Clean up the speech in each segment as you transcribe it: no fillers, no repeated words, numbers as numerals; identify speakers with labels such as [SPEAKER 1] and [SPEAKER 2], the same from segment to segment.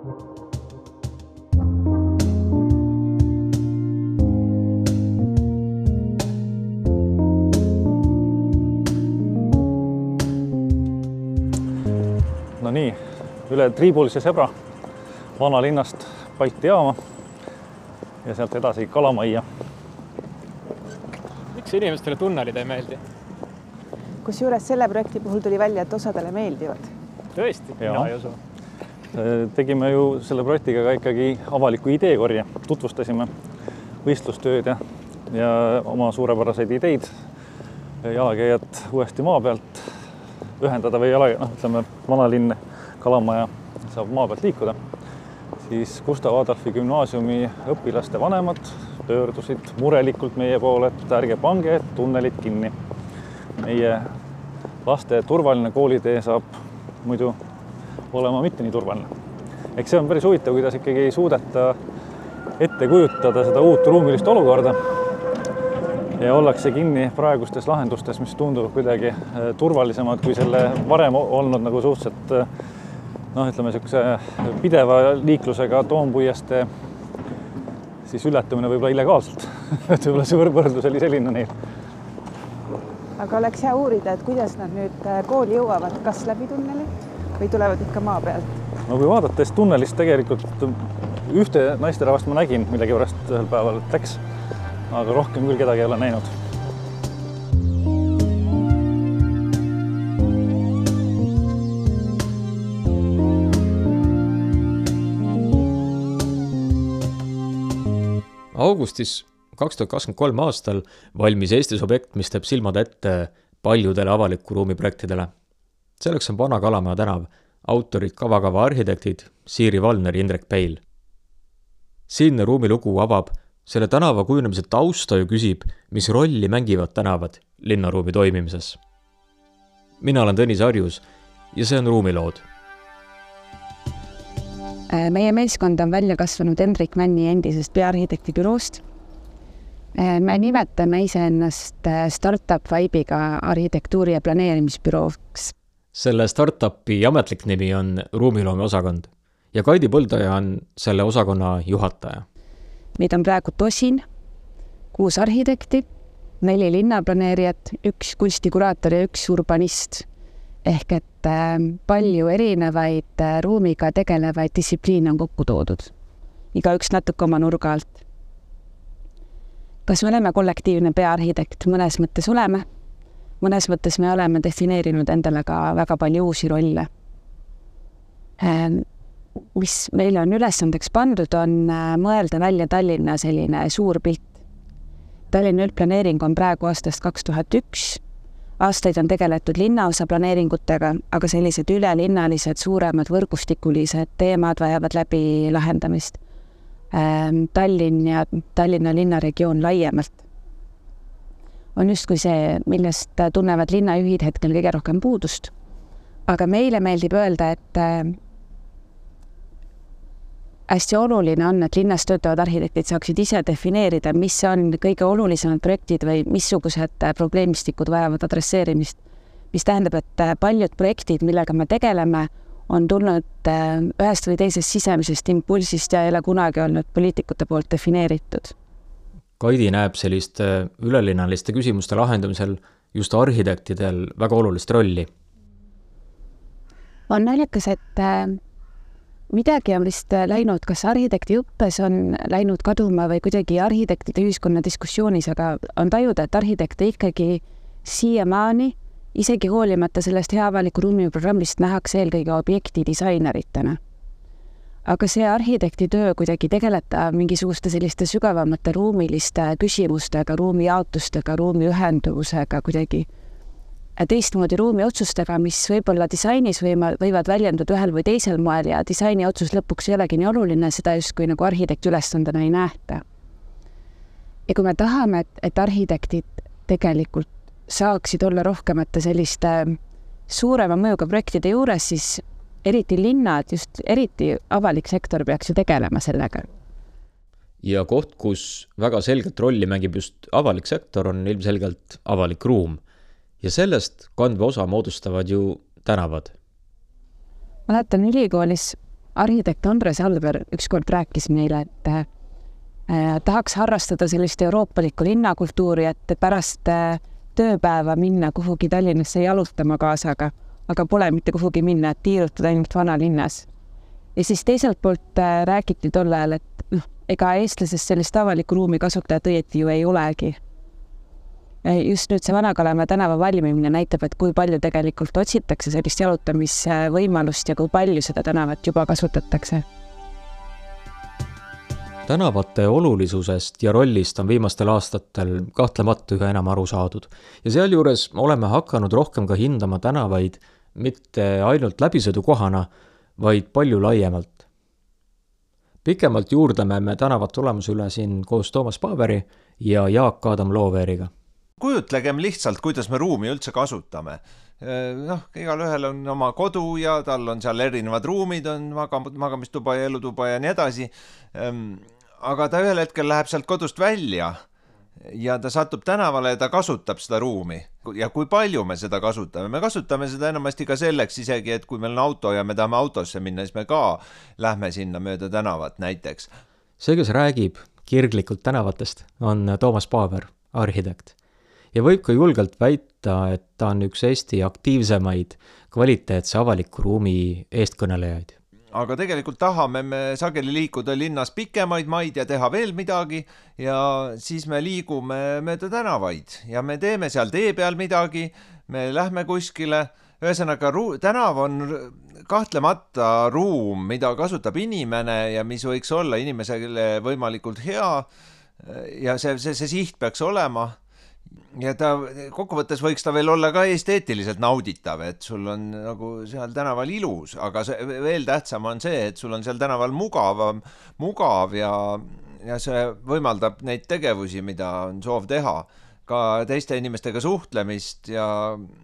[SPEAKER 1] No nii, üle Triibulise Sebra vanalinnast Balti jaama ja sealt edasi Kalamajja.
[SPEAKER 2] Miks inimestele tunnelid ei meeldi?
[SPEAKER 3] Kusjuures selle projekti puhul tuli välja, et osadele meeldivad.
[SPEAKER 2] Tõesti, mina ei usu.
[SPEAKER 1] Tegime ju selle projektiga ka ikkagi avaliku ideekorje. Tutvustasime võistlustööd ja oma suurepäraseid ideid jalakäijad uuesti maa pealt ühendada või ütleme, vanalinn Kalamaja saab maa pealt liikuda. Siis Gustav Adolfi gümnaasiumi õpilaste vanemad pöördusid murelikult meie poole, et ärge pange tunnelid kinni. Meie laste turvaline koolitee saab muidu olema mitte nii turvaline. Eks see on päris huvitav, kuidas ikkagi ei suudeta ette kujutada seda uut ruumilist olukorda ja ollakse kinni praegustes lahendustes, mis tunduvad kuidagi turvalisemad kui selle varem olnud nagu suhteliselt ütleme niisuguse pideva liiklusega toompuieste siis ületamine võib-olla illegaalselt. Et võib-olla see võrdlus oli selline neil.
[SPEAKER 3] Aga oleks hea uurida, et kuidas nad nüüd kooli jõuavad, kas läbi tunneli või tulevad ikka maa pealt?
[SPEAKER 1] No kui vaadates tunnelist tegelikult ühte naisterahvast ma nägin millegi pärast ühel päeval läks, aga rohkem küll kedagi ei ole näinud.
[SPEAKER 4] Augustis 2023 aastal valmis Eestis objekt, mis teeb silmad ette paljudele avaliku ruumi projektidele. Selleks on Vana Kalamaja tänav, autorid kavakava arhitektid Siiri Valner ja Indrek Peil. Siinne ruumilugu avab selle tänava kujunemise tausta ja küsib, mis rolli mängivad tänavad linnaruumi toimimises. Mina olen Tõnis Arjus ja see on Ruumilood.
[SPEAKER 5] Meie meeskond on välja kasvanud Hendrik Männi endisest peaarhitekti büroost. Me nimetame iseennast startup vibe'iga arhitektuuri- ja planeerimisbürooks.
[SPEAKER 4] Selle startupi ametlik nimi on Ruumiloome osakond ja Kaidi Põldaja on selle osakonna juhataja.
[SPEAKER 5] Meid on praegu 10, 6 arhitekti, 4 linnaplaneerijat, 1 kunstikuraator ja 1 urbanist. Ehk et palju erinevaid ruumiga tegelevaid distsipliine on kokku toodud. Igaüks natuke oma nurga alt. Kas me oleme kollektiivne peaarhitekt? Mõnes mõttes oleme. Mõnes mõttes me oleme defineerinud endale ka väga palju uusi rolle. Mis meile on ülesandeks pandud, on mõelda välja Tallinna selline suur pilt. Tallinna üldplaneering on praegu aastast 2001. Aastaid on tegeletud linnaosa planeeringutega, aga sellised ülelinnalised, suuremad võrgustikulised teemad vajavad läbi lahendamist. Tallinn ja Tallinna linnaregioon laiemalt on justkui see, millest tunnevad linnajuhid hetkel kõige rohkem puudust. Aga meile meeldib öelda, et hästi oluline on, et linnas töötavad arhitektid saaksid ise defineerida, mis on kõige olulisemad projektid või missugused probleemistikud vajavad adresseerimist. Mis tähendab, et paljud projektid, millega me tegeleme, on tulnud ühest või teisest sisemisest impulsist ja ei ole kunagi olnud poliitikute poolt defineeritud.
[SPEAKER 4] Kaidi näeb selliste ülelinnaliste küsimuste lahendamisel just arhitektidel väga olulist rolli.
[SPEAKER 5] On naljakas, et midagi on vist läinud, kas arhitekti õppes on läinud kaduma või kuidagi arhitektide ühiskonna diskussioonis, aga on tajuda, et arhitekte ikkagi siiamaani, isegi hoolimata sellest hea avaliku ruumi programmist nähakse eelkõige objektidisaineritena. Aga see arhitekti töö kuidagi tegeleta mingisuguste selliste sügavamate ruumiliste küsimustega, ruumi jaotustega, ruumi ühenduvusega kuidagi teistmoodi ruumi otsustega, mis võib-olla disainis võivad väljenduda ühel või teisel moel ja disaini otsus lõpuks ei olegi nii oluline, seda justkui nagu arhitekti ülesandena ei nähta. Ja kui me tahame, et arhitektid tegelikult saaksid olla rohkemate selliste suurema mõjuga projektide juures, siis eriti linnad, just eriti avalik sektor peaks ju tegelema sellega.
[SPEAKER 4] Ja koht, kus väga selgelt rolli mängib just avalik sektor, on ilmselgelt avalik ruum. Ja sellest kandva osa moodustavad ju tänavad.
[SPEAKER 5] Mäletan, ülikoolis arhitekt Andres Alber ükskord rääkis meile, et tahaks harrastada sellist euroopalikku linnakultuuri, et pärast tööpäeva minna kuhugi Tallinnasse jalutama kaasaga, aga pole mitte kuhugi minna, et tiirutada ainult vanalinnas. Ja siis teiselt poolt räägiti tol ajal, et ega eestlasest sellist avaliku ruumi kasutajat õieti ju ei olegi. Just nüüd see Vana-Kalamaja tänava valmimine näitab, et kui palju tegelikult otsitakse sellist jalutamisvõimalust ja kui palju seda tänavat juba kasutatakse.
[SPEAKER 4] Tänavate olulisusest ja rollist on viimastel aastatel kahtlemata üha enam aru saadud. Ja sealjuures oleme hakanud rohkem ka hindama tänavaid mitte ainult läbisõidukohana, vaid palju laiemalt. Pikemalt juurdleme me tänavat tulemuse üle siin koos Toomas Paaveri ja Jaak Adam Looveeriga.
[SPEAKER 6] Kujutlegem lihtsalt, kuidas me ruumi üldse kasutame. Igal ühel on oma kodu ja tal on seal erinevad ruumid, on magamistuba ja elutuba ja nii edasi. Aga ta ühel hetkel läheb sealt kodust välja ja ta satub tänavale ja ta kasutab seda ruumi. Ja kui palju me seda kasutame? Me kasutame seda enamasti ka selleks isegi, et kui meil on auto ja me tahame autosse minna, siis me ka lähme sinna mööda tänavat näiteks.
[SPEAKER 4] See, kes räägib kirglikult tänavatest, on Toomas Paaver, arhitekt. Ja võib ka julgelt väita, et ta on üks Eesti aktiivsemaid kvaliteetse avaliku ruumi eestkõnelejaid.
[SPEAKER 6] Aga tegelikult tahame me sageli liikuda linnas pikemaid maid ja teha veel midagi ja siis me liigume mööda tänavaid ja me teeme seal tee peal midagi, me lähme kuskile. Ühesõnaga, tänav on kahtlemata ruum, mida kasutab inimene ja mis võiks olla inimesele võimalikult hea ja see siht peaks olema. Ja ta kokkuvõttes võiks ta veel olla ka esteetiliselt nauditav, et sul on nagu seal tänaval ilus, aga veel tähtsam on see, et sul on seal tänaval mugav ja see võimaldab neid tegevusi, mida on soov teha, ka teiste inimestega suhtlemist ja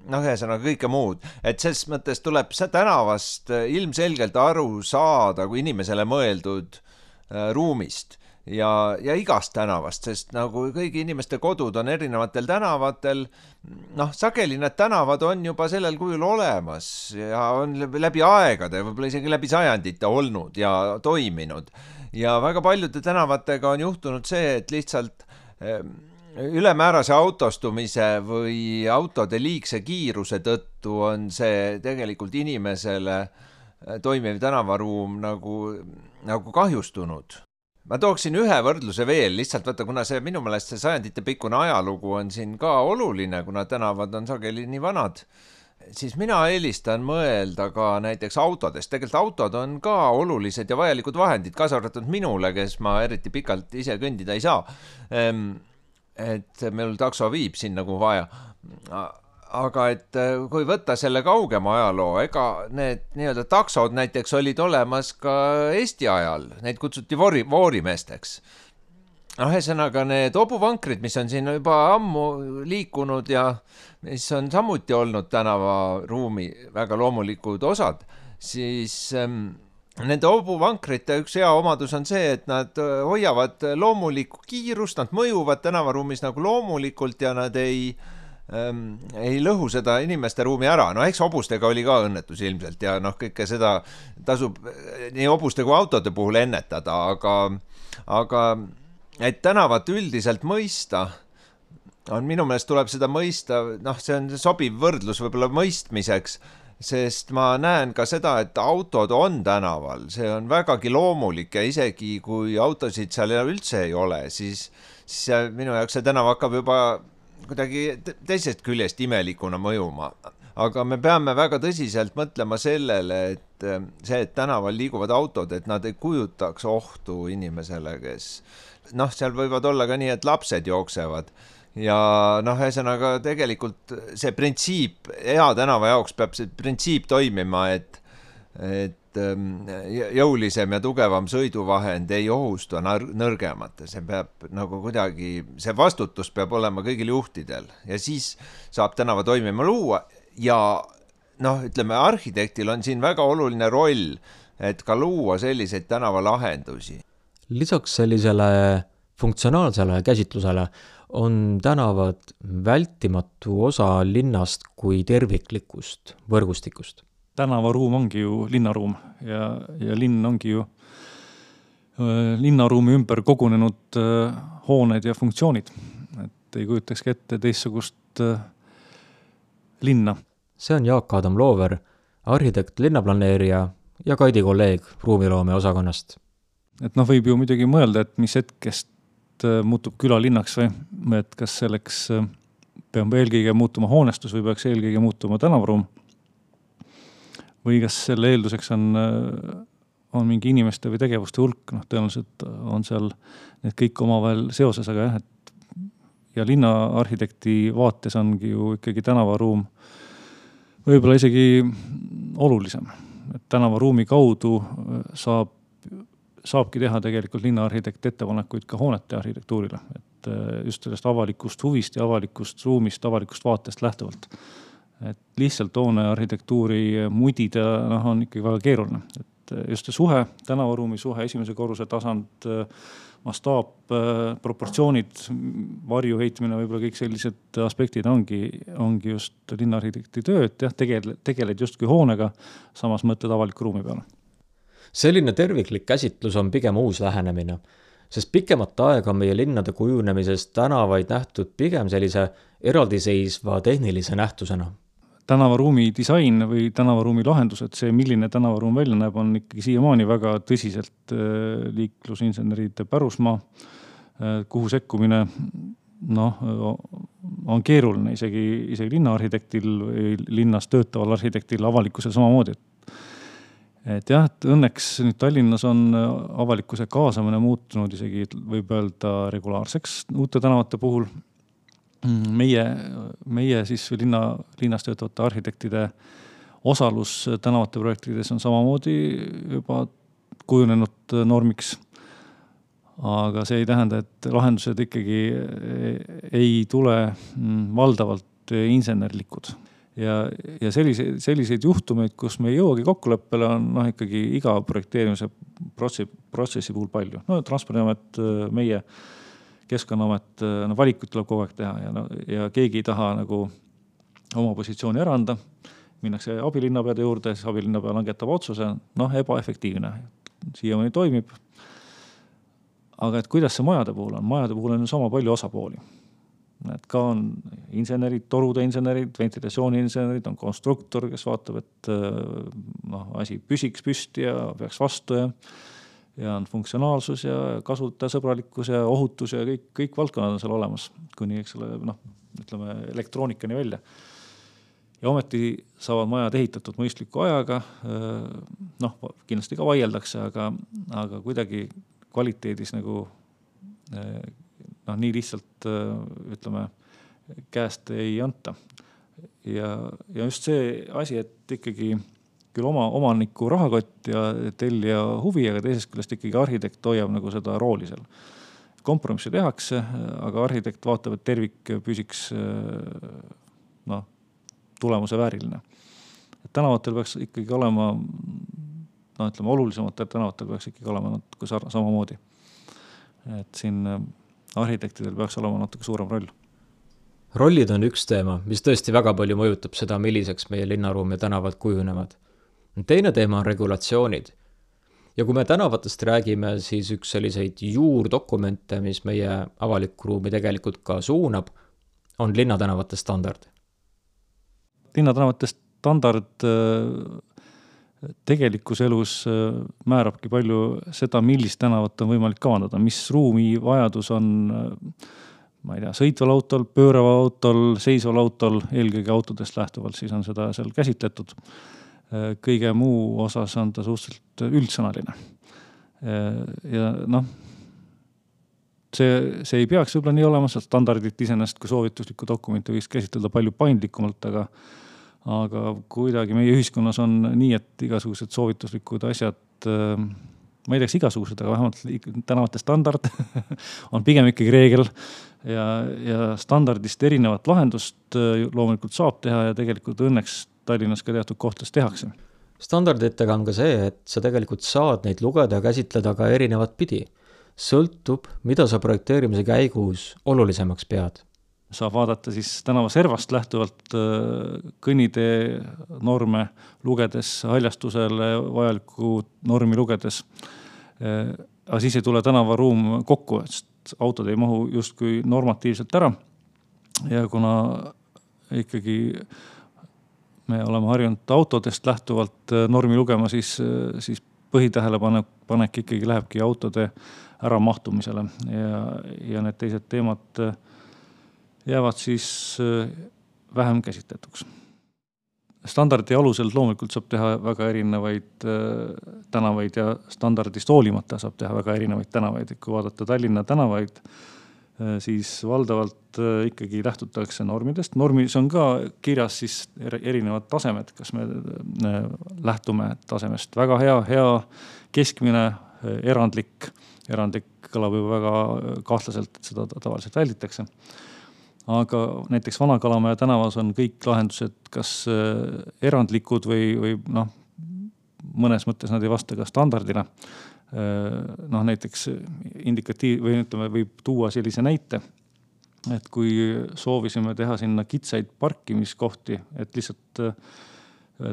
[SPEAKER 6] ühesõnaga kõike muud. Et selles mõttes tuleb tänavast ilmselgelt aru saada kui inimesele mõeldud ruumist. Ja igast tänavast, sest nagu kõigi inimeste kodud on erinevatel tänavatel, sageli need tänavad on juba sellel kujul olemas ja on läbi aegade, võib-olla isegi läbi sajandite olnud ja toiminud. Ja väga paljude tänavatega on juhtunud see, et lihtsalt ülemäärase autostumise või autode liigse kiiruse tõttu on see tegelikult inimesele toimiv tänavaruum nagu kahjustunud. Ma tooksin ühe võrdluse veel, lihtsalt võtta, kuna see minu meelest see sajandite pikkune ajalugu on siin ka oluline, kuna tänavad on sageli nii vanad, siis mina eelistan mõelda ka näiteks autodest. Tegelikult autod on ka olulised ja vajalikud vahendid, kaasa arvatud minule, kes ma eriti pikalt ise kõndida ei saa. Et meil takso viib sinna kui vaja. Aga et kui võtta selle kaugema ajaloo, ega need nii-öelda taksod näiteks olid olemas ka Eesti ajal, neid kutsuti voorimeesteks. Ühesõnaga need hobuvankrid, mis on siin juba ammu liikunud ja mis on samuti olnud tänavaruumi väga loomulikud osad, siis nende hobuvankrite üks hea omadus on see, et nad hoiavad loomulikku kiirust, nad mõjuvad tänavaruumis nagu loomulikult ja nad ei lõhu seda inimeste ruumi ära. Eks hobustega oli ka õnnetus ilmselt ja kõike seda tasub nii hobuste kui autode puhul ennetada, aga et tänavat üldiselt mõista, minu meelest tuleb seda mõista, see on sobiv võrdlus võib-olla mõistmiseks, sest ma näen ka seda, et autod on tänaval, see on vägagi loomulik ja isegi kui autosid seal üldse ei ole, siis minu jaoks see tänav hakkab juba kuidagi teisest küljest imelikuna mõjuma. Aga me peame väga tõsiselt mõtlema sellele, et tänaval liiguvad autod, et nad ei kujutaks ohtu inimesele, kes seal võivad olla ka nii, et lapsed jooksevad. Ja ühesõnaga tegelikult see printsiip, hea tänava jaoks peab see printsiip toimima, et jõulisem ja tugevam sõiduvahend ei ohusta nõrgemat. See peab nagu kuidagi, see vastutus peab olema kõigil juhtidel ja siis saab tänava toimima luua ja ütleme, arhitektil on siin väga oluline roll, et ka luua selliseid tänavalahendusi.
[SPEAKER 4] Lisaks sellisele funktsionaalsele käsitlusele on tänavad vältimatu osa linnast kui terviklikust võrgustikust.
[SPEAKER 1] tänavaruum ongi ju linnaruum ja linn ongi ju linnaruumi ümber kogunenud hooned ja funktsioonid. Et ei kujutakski ette teistsugust linna.
[SPEAKER 4] See on Jaak Adam Loover, arhitekt, linnaplaneerija ja Kaidi kolleeg ruumiloome osakonnast.
[SPEAKER 1] Et võib ju muidugi mõelda, et mis hetkest muutub külalinnaks või et kas selleks peab eelkõige muutuma hoonestus või peaks eelkõige muutuma tänavaruum või kas selle eelduseks on mingi inimeste või tegevuste hulk, tõenäoliselt on seal need kõik omavahel seoses, aga jah, et ja linnaarhitekti vaates ongi ju ikkagi tänavaruum võib-olla isegi olulisem. Et tänavaruumi kaudu saabki teha tegelikult linnaarhitekt ettepanekuid ka hoonete arhitektuurile, et just sellest avalikust huvist ja avalikust ruumist, avalikust vaatest lähtuvalt. Et lihtsalt hoone arhitektuuri mudida on ikkagi väga keeruline. Et just see suhe, tänavaruumi suhe, esimese korruse tasand, mastaap, proportsioonid, varju heitmine, võib-olla kõik sellised aspektid ongi just linnaarhitekti töö, et jah, tegeled justkui hoonega, samas mõtled avaliku ruumi peale.
[SPEAKER 4] Selline terviklik käsitlus on pigem uus lähenemine, sest pikemat aega on meie linnade kujunemisest tänavaid nähtud pigem sellise eraldiseisva tehnilise nähtusena.
[SPEAKER 1] Tänavaruumi disain või tänavaruumi lahendused, see milline tänavaruum välja näeb, on ikkagi siiamaani väga tõsiselt liiklusinseneride pärusmaa, kuhu sekkumine on keeruline isegi linnaarhitektil või linnas töötaval arhitektil, avalikkusel samamoodi. Et jah, et õnneks nüüd Tallinnas on avalikkuse kaasamine muutunud isegi võib öelda regulaarseks uute tänavate puhul. Meie siis linnas töötavate arhitektide osalus tänavate projektides on samamoodi juba kujunenud normiks. Aga see ei tähenda, et lahendused ikkagi ei tule valdavalt insenerlikud. Ja selliseid juhtumeid, kus me ei jõuagi kokkuleppele, on ikkagi iga projekteerimise protsessi puhul palju. Transpordiamet, meie Keskkonnaamet, valikut tuleb kogu aeg teha ja keegi ei taha oma positsiooni ära anda. Minnakse abilinnapeade juurde, siis abilinnapea langetab otsuse, ebaefektiivne. Siiamaani toimib. Aga et kuidas see majade puhul on? Majade puhul on sama palju osapooli. Et ka on insenerid, torude insenerid, ventilatsiooni insenerid, on konstruktor, kes vaatab, et asi püsiks püsti ja peaks vastu ja on funktsionaalsus ja kasutajasõbralikkus ja ohutus ja kõik valdkonnad on seal olemas, kuni ütleme elektroonikani välja. Ja ometi saavad majad ehitatud mõistliku ajaga, kindlasti ka vaieldakse, aga kuidagi kvaliteedis nii lihtsalt ütleme käest ei anta. Ja just see asi, et ikkagi küll oma omaniku rahakott ja tellija huvi, aga teisest küljest ikkagi arhitekt hoiab seda rooli seal. Kompromissi tehakse, aga arhitekt vaatab, et tervik püsiks tulemuse vääriline. Et tänavatel peaks ikkagi olema, olulisematel tänavatel peaks ikkagi olema natuke samamoodi. Et siin arhitektidel peaks olema natuke suurem roll.
[SPEAKER 4] Rollid on üks teema, mis tõesti väga palju mõjutab seda, milliseks meie linnaruum ja tänavad kujunevad. Teine teema on regulatsioonid. Ja kui me tänavatest räägime, siis üks selliseid juurdokumente, mis meie avalikku ruumi tegelikult ka suunab, on linnatänavate standard.
[SPEAKER 1] Linnatänavate standard tegelikus elus määrabki palju seda, millist tänavat on võimalik kavandada, mis ruumi vajadus on sõitval autol, pööraval autol, seisval autol, eelkõige autodest lähtuvalt, siis on seda seal käsitletud. Kõige muu osas on ta suhteliselt üldsõnaline. Ja see ei peaks võib-olla nii olema, standardit iseenesest kui soovituslikku dokumenti võiks käsitleda palju paindlikumalt, aga kuidagi meie ühiskonnas on nii, et igasugused soovituslikud asjad, ma ei teaks igasugused, aga vähemalt tänavate standard on pigem ikkagi reegel ja standardist erinevat lahendust loomulikult saab teha ja tegelikult õnneks Tallinnas ka teatud kohtades tehakse.
[SPEAKER 4] Standarditega on ka see, et sa tegelikult saad neid lugeda ja käsitleda ka erinevat pidi. Sõltub, mida sa projekteerimise käigus olulisemaks pead.
[SPEAKER 1] saab vaadata siis tänava servast lähtuvalt kõnnitee norme lugedes, haljastusele vajalikku normi lugedes. Aga siis ei tule tänavaruum kokku, sest autod ei mahu justkui normatiivselt ära. Ja kuna ikkagi me oleme harjunud autodest lähtuvalt normi lugema, siis põhitähelepanek ikkagi lähebki autode ära mahtumisele ja need teised teemad jäävad siis vähem käsitletuks. Standardi alusel loomulikult saab teha väga erinevaid tänavaid ja standardist hoolimata saab teha väga erinevaid tänavaid. Kui vaadata Tallinna tänavaid, siis valdavalt ikkagi lähtutakse normidest. Normis on ka kirjas siis erinevad tasemed, kas me lähtume tasemest väga hea, keskmine, erandlik kõlab juba väga kahtlaselt, et seda tavaliselt välditakse. Aga näiteks Vana-Kalamaja tänavas on kõik lahendused kas erandlikud või mõnes mõttes nad ei vasta ka standardile. Näiteks võib tuua sellise näite, et kui soovisime teha sinna kitsaid parkimiskohti, et lihtsalt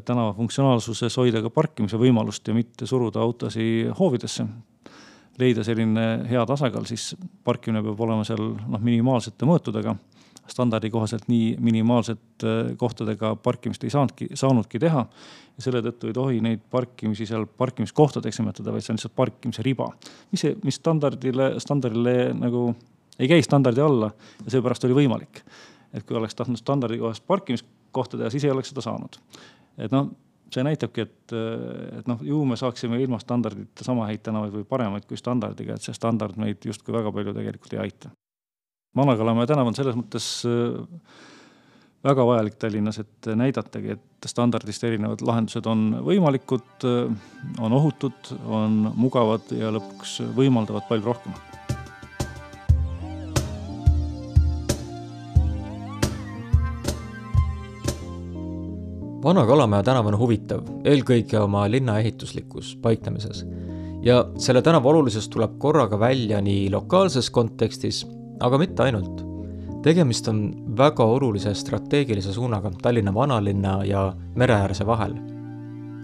[SPEAKER 1] tänava funktsionaalsuses hoida ka parkimise võimalust ja mitte suruda autosi hoovidesse, leida selline hea tasakaal, siis parkimine peab olema seal minimaalsete mõõtudega. Standardi kohaselt nii minimaalset kohtadega parkimist ei saanudki teha ja selle tõttu ei tohi neid parkimisi seal parkimiskohtadeks nimetada, vaid see on lihtsalt parkimise riba, mis standardile nagu ei käi standardi alla ja seepärast oli võimalik. Et kui oleks tahtnud standardi kohast parkimiskohta teha, siis ei oleks seda saanud. Et see näitabki, et ju me saaksime ilma standardita sama häid tänavaid või paremaid kui standardiga, et see standard meid justkui väga palju tegelikult ei aita. Vana-Kalamaja tänav on selles mõttes väga vajalik Tallinnas, et näidatagi, et standardist erinevad lahendused on võimalikud, on ohutud, on mugavad ja lõpuks võimaldavad palju rohkem.
[SPEAKER 4] Vana-Kalamaja tänav on huvitav, eelkõige oma linna ehituslikus paiknemises. Ja selle tänava olulisest tuleb korraga välja nii lokaalses kontekstis, aga mitte ainult. Tegemist on väga olulise strateegilise suunaga Tallinna vanalinna ja mereäärse vahel.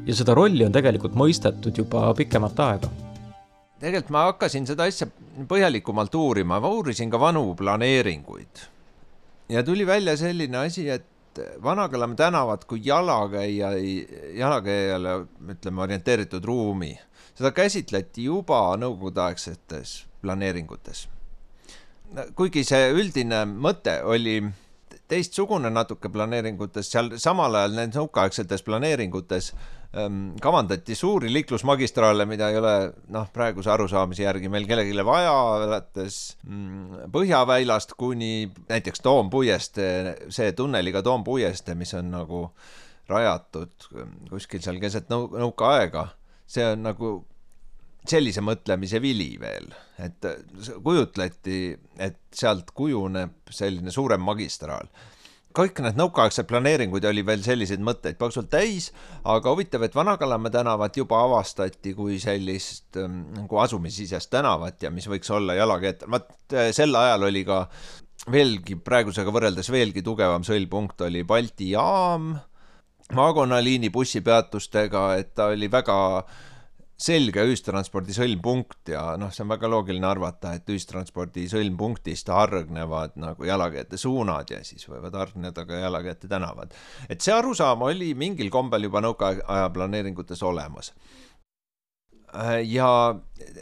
[SPEAKER 4] Ja seda rolli on tegelikult mõistetud juba pikemat aega.
[SPEAKER 6] Tegelikult ma hakkasin seda asja põhjalikumalt uurima, ma uurisin ka vanu planeeringuid. Ja tuli välja selline asi, et Vana-Kalamaja tänavad kui jalakäijale orienteeritud ruumi. Seda käsitleti juba nõukogudeaegsetes planeeringutes. Kuigi see üldine mõte oli teistsugune natuke planeeringutes, seal samal ajal need nõukaaegsetes planeeringutes kavandati suuri liiklusmagistraale, mida ei ole praeguse arusaamise järgi meil kellegile vaja, alates Põhjaväilast kuni näiteks Toompuieste, see tunneliga Toompuieste, mis on nagu rajatud kuskil seal keset nõukaaega. See on nagu sellise mõtlemise vili veel, et kujutleti, et sealt kujuneb selline suurem magistraal. Kõik need nõukaaegsed planeeringud oli veel selliseid mõtteid paksult täis, aga huvitav, et Vana-Kalamaja tänavat juba avastati kui sellist nagu asumisisest tänavat ja mis võiks olla jalakäijate. Sel ajal oli ka veelgi, praegusega võrreldes veelgi tugevam sõlpunkt oli Balti jaam, maakonnaliini bussipeatustega, et ta oli väga selge ühistranspordi sõlmpunkt ja see on väga loogiline arvata, et ühistranspordi sõlmpunktist hargnevad nagu jalakäijate suunad ja siis võivad hargneda ka jalakäijate tänavad. Et see arusaam oli mingil kombel juba nõukaaja planeeringutes olemas. Ja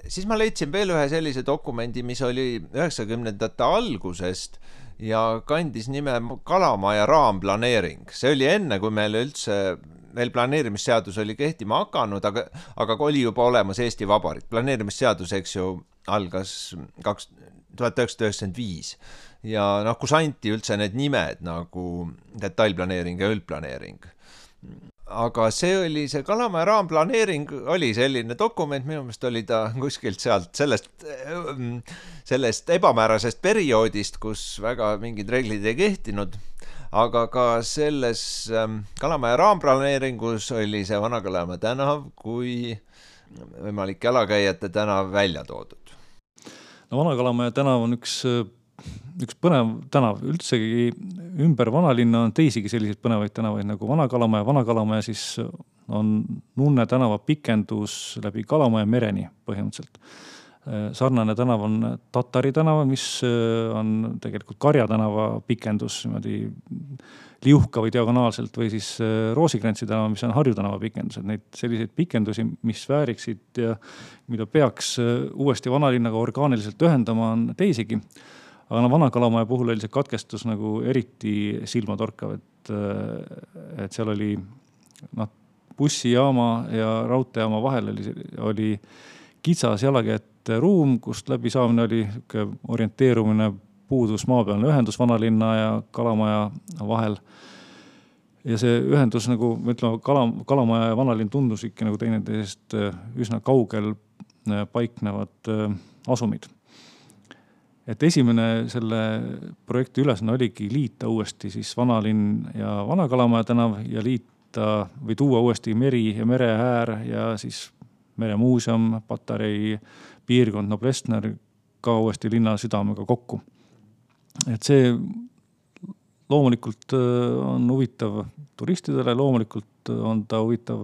[SPEAKER 6] siis ma leidsin veel ühe sellise dokumendi, mis oli 90ndate algusest ja kandis nime Kalamaja raamplaneering. See oli enne, kui meil üldse veel planeerimisseadus oli kehtima hakanud, aga oli juba olemas Eesti Vabariik. Planeerimisseadus, eks ju, algas 1995 ja kus anti üldse need nimed nagu detailplaneering ja üldplaneering. Aga see oli see Kalamaja raamplaneering oli selline dokument, minu meelest oli ta kuskilt sealt sellest ebamäärasest perioodist, kus väga mingid reeglid ei kehtinud. Aga ka selles Kalamaja raamplaneeringus oli see Vana-Kalamaja tänav kui võimalik jalakäijate tänav välja toodud.
[SPEAKER 1] Vana-Kalamaja tänav on üks üks põnev tänav. Üldsegi ümber vanalinna on teisigi selliseid põnevaid tänavaid nagu Vana-Kalamaja. Vana-Kalamaja siis on Nunne tänava pikendus läbi Kalamaja mereni põhimõtteliselt. Sarnane tänav on Tatari tänava, mis on tegelikult Karja tänava pikendus liuhka või diagonaalselt või siis Roosikrantsi tänava, mis on Harju tänava pikendus. Neid selliseid pikendusi, mis vääriksid ja mida peaks uuesti vanalinnaga orgaaniliselt ühendama, on teisigi. Aga Vana-Kalamaja puhul oli see katkestus nagu eriti silmatorkav, et seal oli bussijaama ja raudteejaama vahel oli kitsas jalakäijate ruum, kust läbi saamine oli orienteerumine puudus maapealne ühendus Vanalinna ja Kalamaja vahel. Ja see ühendus nagu, ütleme, Kalamaja ja Vanalinn tundus ikka nagu teineteisest üsna kaugel paiknevad asumid. Et esimene selle projekti ülesanne oligi liita uuesti siis Vanalinn ja Vana-Kalamaja tänav ja liita või tuua uuesti meri ja mereäär ja siis meremuuseum, Patarei piirkond, Noblessner ka uuesti linna südamega kokku. Et see loomulikult on huvitav turistidele, loomulikult on ta huvitav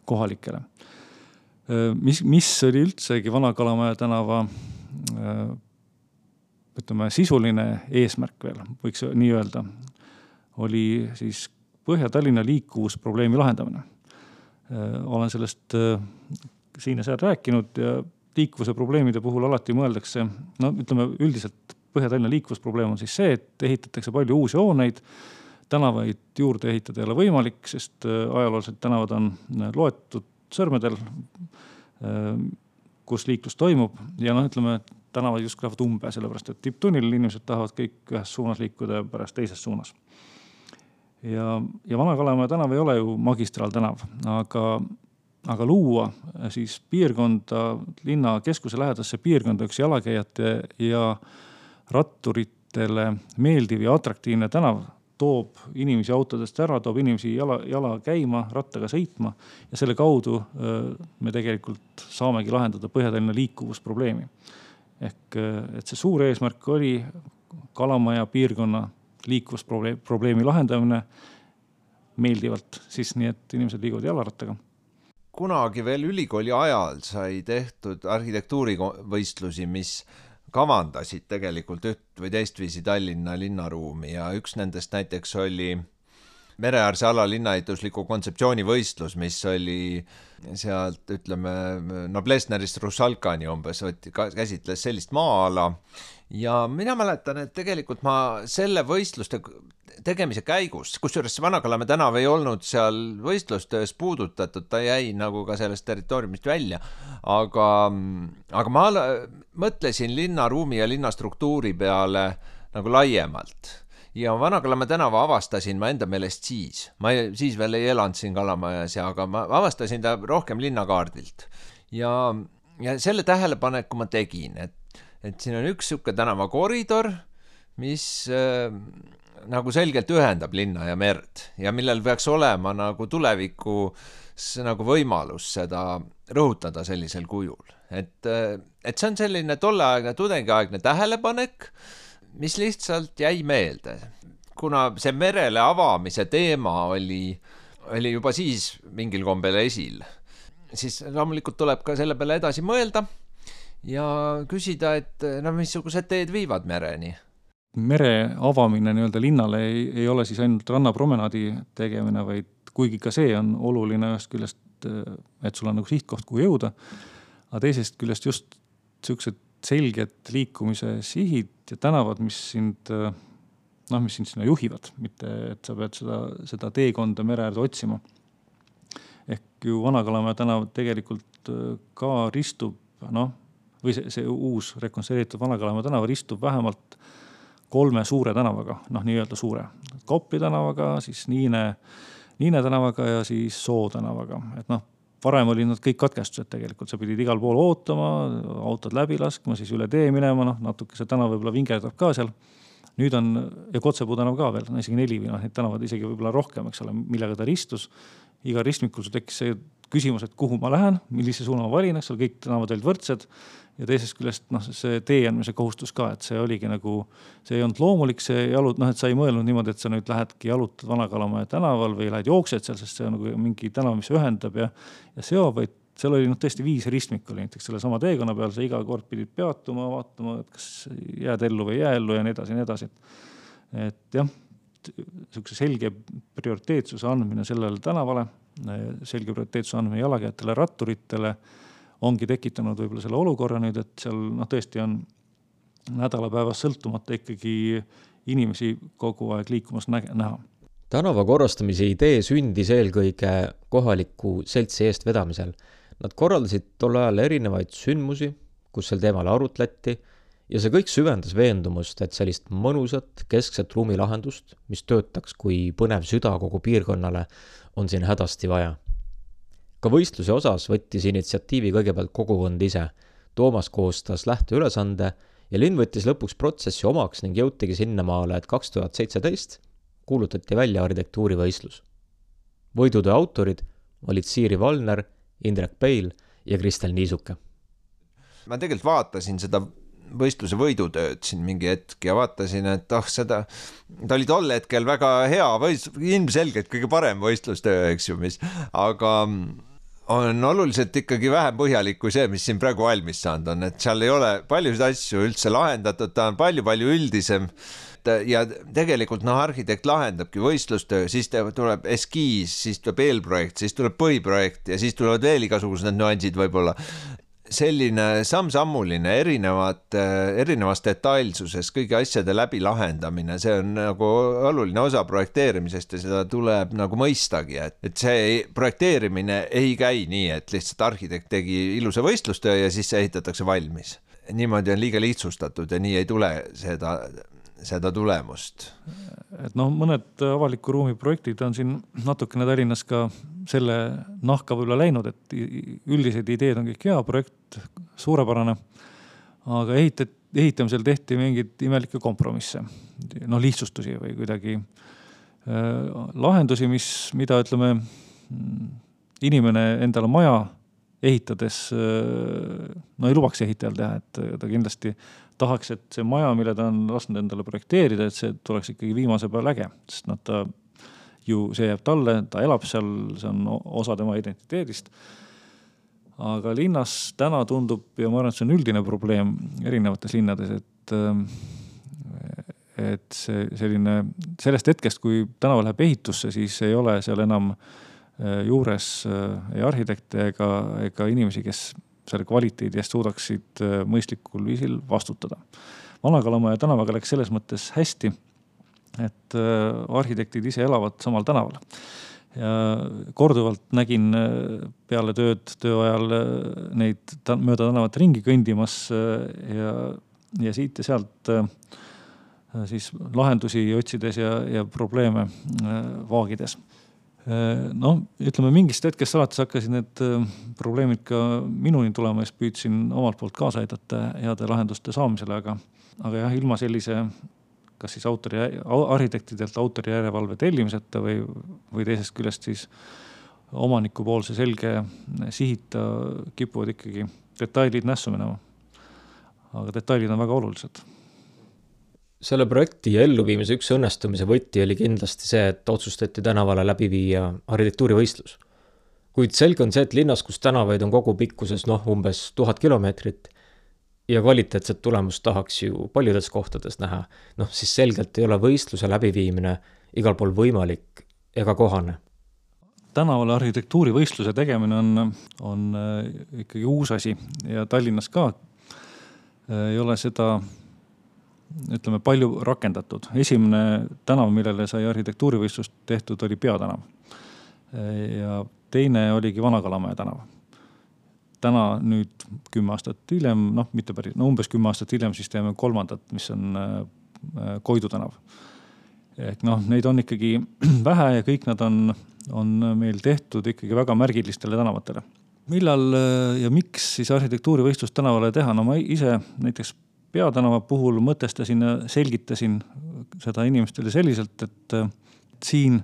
[SPEAKER 1] kohalikele. Mis oli üldsegi Vana-Kalamaja tänava sisuline eesmärk veel, võiks nii öelda, oli siis Põhja-Tallinna liikuvusprobleemi lahendamine. Olen sellest siin ja seal rääkinud ja liikuvuse probleemide puhul alati mõeldakse, üldiselt Põhja-Tallinna liikuvusprobleem on siis see, et ehitatakse palju uusi hooneid, tänavaid juurde ehitada ei ole võimalik, sest ajalooliselt tänavad on loetud sõrmedel, kus liiklus toimub ja tänavad just lähevad umbe, sellepärast et tipptunnil inimesed tahavad kõik ühes suunas liikuda ja pärast teises suunas. Ja Vana-Kalamaja tänav ei ole ju magistraaltänav, aga luua siis piirkonda, linna keskuse lähedasse piirkonda üks jalakäijate ja ratturitele meeldiv ja atraktiivne tänav toob inimesi autodest ära, toob inimesi jala käima, rattaga sõitma ja selle kaudu me tegelikult saamegi lahendada Põhja-Tallinna liikuvusprobleemi. Ehk et see suur eesmärk oli Kalamaja piirkonna liikuvusprobleemi lahendamine meeldivalt, siis nii, et inimesed liiguvad jalarattaga.
[SPEAKER 6] Kunagi veel ülikooli ajal sai tehtud arhitektuurivõistlusi, mis kavandasid tegelikult üht või teistviisi Tallinna linnaruumi ja üks nendest näiteks oli mereäärse ala linnaehitusliku kontseptsiooni võistlus, mis oli sealt, Noblessnerist Rusalkani umbes, käsitles sellist maa-ala ja mina mäletan, et tegelikult ma selle võistluste tegemise käigus, kusjuures Vana-Kalamaja tänav ei olnud seal võistlustöös puudutatud, ta jäi nagu ka sellest territooriumist välja, aga ma mõtlesin linnaruumi ja linnastruktuuri peale nagu laiemalt. Ja Vana-Kalamaja tänava avastasin ma enda meelest siis. Ma siis veel ei elanud siin Kalamajas, aga ma avastasin ta rohkem linnakaardilt. Ja selle tähelepaneku ma tegin, et siin on üks siuke tänavakoridor, mis nagu selgelt ühendab linna ja merd ja millel peaks olema nagu tulevikus nagu võimalus seda rõhutada sellisel kujul. Et see on selline tolleaegne tudengiaegne tähelepanek, mis lihtsalt jäi meelde. Kuna see merele avamise teema oli juba siis mingil kombel esil, siis loomulikult tuleb ka selle peale edasi mõelda ja küsida, et missugused teed viivad mereni.
[SPEAKER 1] Mere avamine linnale ei ole siis ainult rannapromenaadi tegemine, vaid kuigi ka see on oluline ühest küljest, et sul on nagu sihtkoht, kuhu jõuda, aga teisest küljest just sellised selged liikumise sihid ja tänavad, mis sind sinna juhivad, mitte et sa pead seda teekonda mere äärde otsima. Ehk ju Vana-Kalamaja tänav tegelikult ka ristub, või see uus rekonstrueeritud Vana-Kalamaja tänav ristub vähemalt 3 suure tänavaga, nii-öelda suure. Kopli tänavaga, siis Niine tänavaga ja siis Soo tänavaga. Et varem oli nad kõik katkestused tegelikult, sa pidid igal pool ootama, autod läbi laskma, siis üle tee minema, natuke see tänav võib-olla vingerdab ka seal. Nüüd on, ja Kotsepuu tänav ka veel, isegi 4 või neid tänavad isegi võib-olla rohkem, eks ole, millega ta ristus. Iga ristmikul tekkis see küsimus, et kuhu ma lähen, millise suuna ma valin, eks seal kõik tänavad olid võrdsed ja teisest küljest see tee andmise kohustus ka, et see oligi nagu, see ei olnud loomulik, see et sa ei mõelnud niimoodi, et sa nüüd lähedki jalutad Vana-Kalamaja tänaval või lähed jooksed seal, sest see on nagu mingi tänav, mis ühendab ja seob, vaid seal oli tõesti 5 ristmik oli näiteks selle sama teekonna peal, sa iga kord pidid peatuma, vaatama, et kas jääd ellu või jää ellu ja nii edasi. Et jah, selline selge prioriteetsuse andmine sellele tänavale, selge prioriteetsuse andmine jalakäijatele, ratturitele ongi tekitanud võib-olla selle olukorra nüüd, et seal tõesti on nädalapäevas sõltumata ikkagi inimesi kogu aeg liikumas näha.
[SPEAKER 4] Tänava korrastamise idee sündis eelkõige kohaliku seltsi eestvedamisel. Nad korraldasid tol ajal erinevaid sündmusi, kus sel teemal arutleti ja see kõik süvendas veendumust, et sellist mõnusat keskset ruumilahendust, mis töötaks kui põnev süda kogu piirkonnale, on siin hädasti vaja. Ka võistluse osas võttis initsiatiivi kõigepealt kogukond ise. Toomas koostas lähteülesande ja linn võttis lõpuks protsessi omaks ning jõutigi sinnamaale, et 2017 kuulutati välja arhitektuurivõistlus. Võidutöö autorid olid Siiri Valner, Indrek Peil ja Kristel Niisuke.
[SPEAKER 6] Ma tegelikult vaatasin seda võistluse võidutööd siin mingi hetk ja vaatasin, et ta oli tol hetkel väga hea, ilmselgelt kõige parem võistlustöö, eks ju, aga on oluliselt ikkagi vähem põhjalik kui see, mis siin praegu valmis saanud on, et seal ei ole paljusid asju üldse lahendatud, ta on palju üldisem ja tegelikult arhitekt lahendabki võistlustöö, siis tuleb eskiis, siis tuleb eelprojekt, siis tuleb põhiprojekt ja siis tulevad veel igasugused nüansid võib-olla. Selline samm-sammuline erinevas detailsuses kõigi asjade läbi lahendamine, see on nagu oluline osa projekteerimisest ja seda tuleb nagu mõistagi, et see projekteerimine ei käi nii, et lihtsalt arhitekt tegi ilusa võistlustöö ja siis see ehitatakse valmis. Niimoodi on liiga lihtsustatud ja nii ei tule seda tulemust.
[SPEAKER 1] Et mõned avaliku ruumi projektid on siin natukene Tallinnas ka selle nahka võib-olla läinud, et üldised ideed on kõik hea, projekt suurepärane, aga ehitamisel tehti mingeid imelikke kompromisse, lihtsustusi või kuidagi lahendusi, mida ütleme, inimene endale maja ehitades ei lubaks ehitajal teha, et ta kindlasti tahaks, et see maja, mille ta on lasknud endale projekteerida, et see tuleks ikkagi viimase peal äge, sest ta see jääb talle, ta elab seal, see on osa tema identiteedist. Aga linnas täna tundub, ja ma arvan, et see on üldine probleem erinevates linnades, et see selline, sellest hetkest, kui tänava läheb ehitusse, siis ei ole seal enam juures ei arhitekte ega inimesi, kes selle kvaliteedi eest suudaksid mõistlikul viisil vastutada. Vana-Kalamaja tänavaga läks selles mõttes hästi, et arhitektid ise elavad samal tänaval. Ja korduvalt nägin peale töö ajal neid mööda tänavat ringi kõndimas ja siit ja sealt siis lahendusi otsides ja probleeme vaagides. Ütleme, mingist hetkest alates hakkasid need probleemid ka minuni tulema ja püüdsin omalt poolt kaasa aidata heade lahenduste saamisele, aga jah, ilma sellise kas siis arhitektidelt autorijärelevalve tellimiseta või teisest küljest siis omanikupoolse selge sihita kipuvad ikkagi detailid nässu minema. Aga detailid on väga olulised.
[SPEAKER 4] Selle projekti elluviimise üks õnnestumise võti oli kindlasti see, et otsustati tänavale läbi viia arhitektuurivõistlus. Kuid selge on see, et linnas, kus tänavaid on kogu pikkuses umbes 1000 kilomeetrit ja kvaliteetset tulemust tahaks ju paljudes kohtades näha, siis selgelt ei ole võistluse läbiviimine igal pool võimalik ega kohane.
[SPEAKER 1] Tänavale arhitektuurivõistluse tegemine on ikkagi uus asi ja Tallinnas ka ei ole seda ütleme, palju rakendatud. Esimene tänav, millele sai arhitektuurivõistlust tehtud, oli Peatänav. Ja teine oligi Vana-Kalamaja tänav. Täna nüüd 10 aastat hiljem, umbes 10 aastat hiljem, siis teeme kolmandat, mis on Koidu tänav. Neid on ikkagi vähe ja kõik nad on meil tehtud ikkagi väga märgilistele tänavatele. Millal ja miks siis arhitektuurivõistlust tänavale teha? Ma ise näiteks Peatänava puhul mõtestasin ja selgitasin seda inimestele selliselt, et siin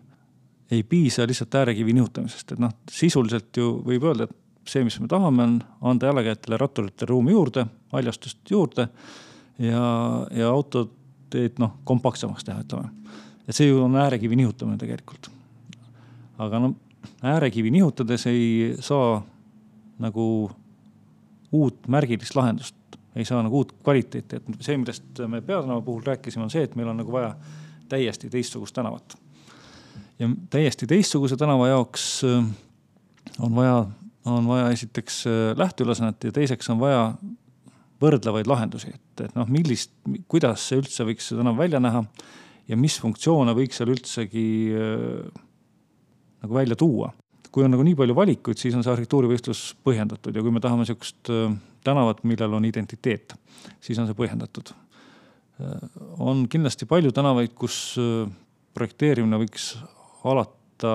[SPEAKER 1] ei piisa lihtsalt äärekivi nihutamisest, et sisuliselt ju võib öelda, et see, mis me tahame, on anda jalakäijatele ratturitele ruumi juurde, haljastust juurde ja autoteed kompaktsemaks teha, ütleme. Et see ju on äärekivi nihutamine tegelikult. Aga äärekivi nihutades ei saa nagu uut märgilist lahendust, ei saa nagu uut kvaliteeti. Et see, millest me Peatänava puhul rääkisime, on see, et meil on nagu vaja täiesti teistsugust tänavat. Ja täiesti teistsuguse tänava jaoks on vaja esiteks lähteülesannet ja teiseks on vaja võrdlevaid lahendusi, et kuidas see üldse võiks see tänav välja näha ja mis funktsioone võiks seal üldsegi nagu välja tuua. Kui on nagu nii palju valikuid, siis on see arhitektuurivõistlus põhjendatud ja kui me tahame sellist tänavat, millel on identiteet, siis on see põhjendatud. On kindlasti palju tänavaid, kus projekteerimine võiks alata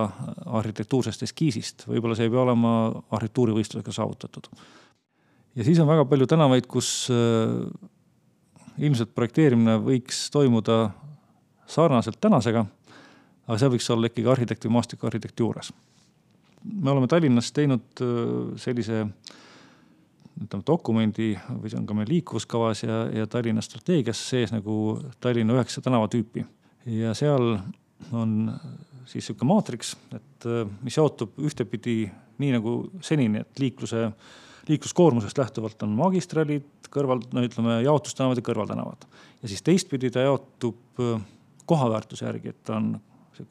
[SPEAKER 1] arhitektuursest eskiisist. Võib-olla see ei pea olema arhitektuurivõistlusega saavutatud. Ja siis on väga palju tänavaid, kus ilmselt projekteerimine võiks toimuda sarnaselt tänasega, aga see võiks olla ikkagi arhitekti või maastikuarhitekti juures. Me oleme Tallinnas teinud sellise dokumendi, või see on ka meil liikuvuskavas ja Tallinna strateegias sees nagu Tallinna 9 tänavatüüpi. Ja seal on siis selline maatriks, et mis jaotub ühtepidi nii nagu senini, et liikluskoormusest lähtuvalt on magistraalid, jaotustänavad ja kõrvaltänavad. Ja siis teistpidi ta jaotub kohaväärtuse järgi, et on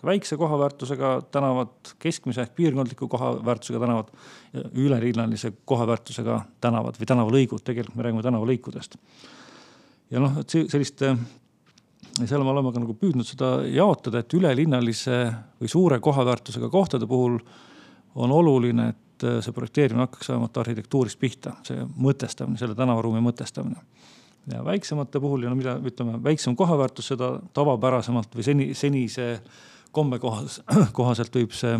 [SPEAKER 1] väikse kohaväärtusega tänavad, keskmise ehk piirkondliku kohaväärtusega tänavad ja ülelinnalise kohaväärtusega tänavad või tänavalõigud, tegelikult me räägime tänavalõikudest. Ja et selliste seal me oleme ka nagu püüdnud seda jaotada, et ülelinnalise või suure kohaväärtusega kohtade puhul on oluline, et see projekteerimine hakkaks vähemalt arhitektuurist pihta, see mõtestamine, selle tänavaruumi mõtestamine. Ja väiksemate puhul, ja mida ütleme, väiksem kohaväärtus seda tavapärasemalt või senise komme kohaselt võib see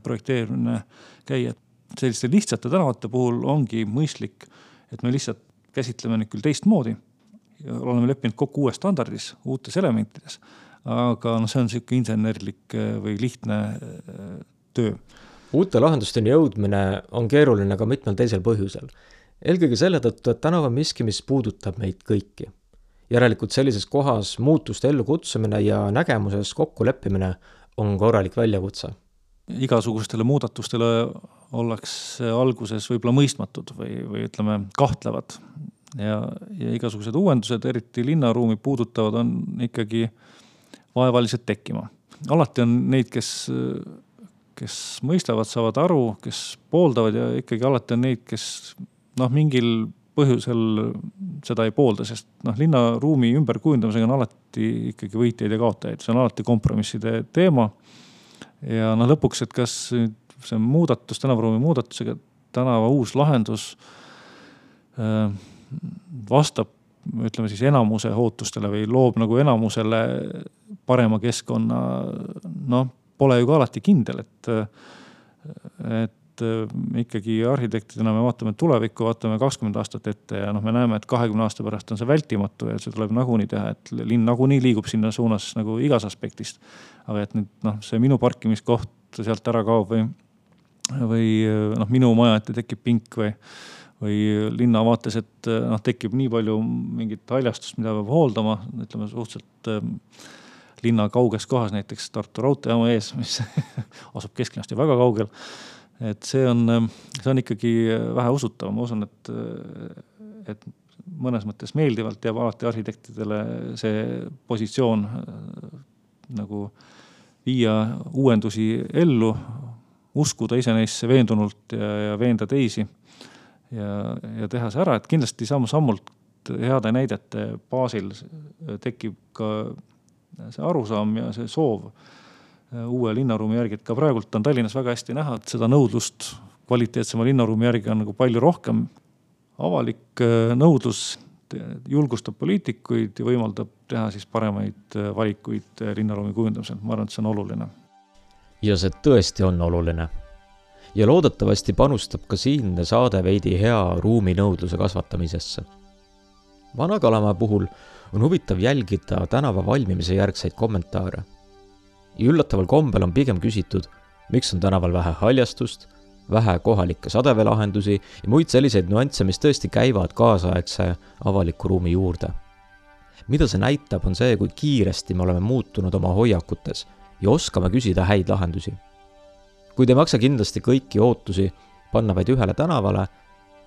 [SPEAKER 1] projekteerimine käia. Selliste lihtsate tänavate puhul ongi mõistlik, et me lihtsalt käsitleme nüüd küll teistmoodi. Ja oleme leppinud kokku uues standardis, uutes elementides, aga see on selline insenerlik või lihtne töö.
[SPEAKER 4] Uute lahendusteni jõudmine on keeruline ka mitmel teisel põhjusel. Eelkõige selle tõttu, et tänav on miski, mis puudutab meid kõiki. Järelikult sellises kohas muutuste ellu kutsumine ja nägemuses kokku leppimine on korralik väljakutse.
[SPEAKER 1] Igasugustele muudatustele ollakse alguses võib-olla mõistmatud või ütleme kahtlevad. Ja igasugused uuendused, eriti linnaruumi puudutavad, on ikkagi vaevalised tekkima. Alati on neid, kes mõistavad, saavad aru, kes pooldavad ja ikkagi alati on neid, kes mingil põhjusel seda ei poolda, sest linnaruumi ümberkujundamisega on alati ikkagi võitjaid ja kaotajaid. See on alati kompromisside teema ja lõpuks, et kas see muudatus, tänavaruumi muudatusega tänava uus lahendus vastab, ütleme siis enamuse ootustele või loob nagu enamusele parema keskkonna, pole ju ka alati kindel, et ikkagi arhitektidena me vaatame tulevikku, vaatame 20 aastat ette ja me näeme, et 20 aasta pärast on see vältimatu ja see tuleb nagunii teha, et linn nagunii liigub sinna suunas nagu igas aspektist. Aga et nüüd see minu parkimiskoht sealt ära kaob või minu maja ette tekib pink või linna vaates, et tekib nii palju mingit haljastust, mida peab hooldama, ütleme suhteliselt linna kauges kohas, näiteks Tartu raudteejaama ees, mis asub kesklinnast ja väga kaugel. Et see on ikkagi vähe usutav. Ma usun, et mõnes mõttes meeldivalt jääb alati arhitektidele see positsioon nagu viia uuendusi ellu, uskuda ise neisse veendunult ja veenda teisi ja teha see ära, et kindlasti sammult heade näidete baasil tekib ka see arusaam ja see soov uue linnaruumi järgi, et ka praegult on Tallinnas väga hästi näha, et seda nõudlust kvaliteetsema linnaruumi järgi on nagu palju rohkem. Avalik nõudlus julgustab poliitikuid ja võimaldab teha siis paremaid valikuid linnaruumi kujundamisel. Ma arvan, et see on oluline.
[SPEAKER 4] Ja see tõesti on oluline. Ja loodetavasti panustab ka siinne saade veidi hea ruuminõudluse kasvatamisesse. Vana-Kalamaja puhul on huvitav jälgida tänava valmimise järgseid kommentaare. ja üllataval kombel on pigem küsitud, miks on tänaval vähe haljastust, vähe kohalikke sadeveelahendusi ja muid selliseid nüansse, mis tõesti käivad kaasaegse avaliku ruumi juurde. Mida see näitab, on see, kui kiiresti me oleme muutunud oma hoiakutes ja oskame küsida häid lahendusi. Kuid ei maksa kindlasti kõiki ootusi panna vaid ühele tänavale,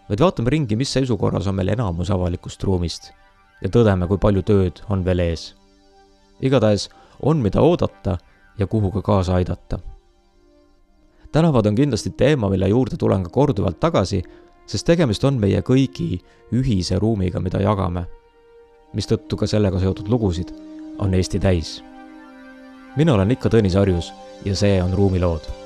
[SPEAKER 4] vaid vaatame ringi, mis seisukorras on meil enamus avalikust ruumist ja tõdeme, kui palju tööd on veel ees. Igatahes on mida oodata ja kuhu ka kaasa aidata. Tänavad on kindlasti teema, mille juurde tulen ka korduvalt tagasi, sest tegemist on meie kõigi ühise ruumiga, mida jagame, mistõttu ka sellega seotud lugusid on Eesti täis. Mina olen ikka Tõnis Arjus ja see on Ruumilood.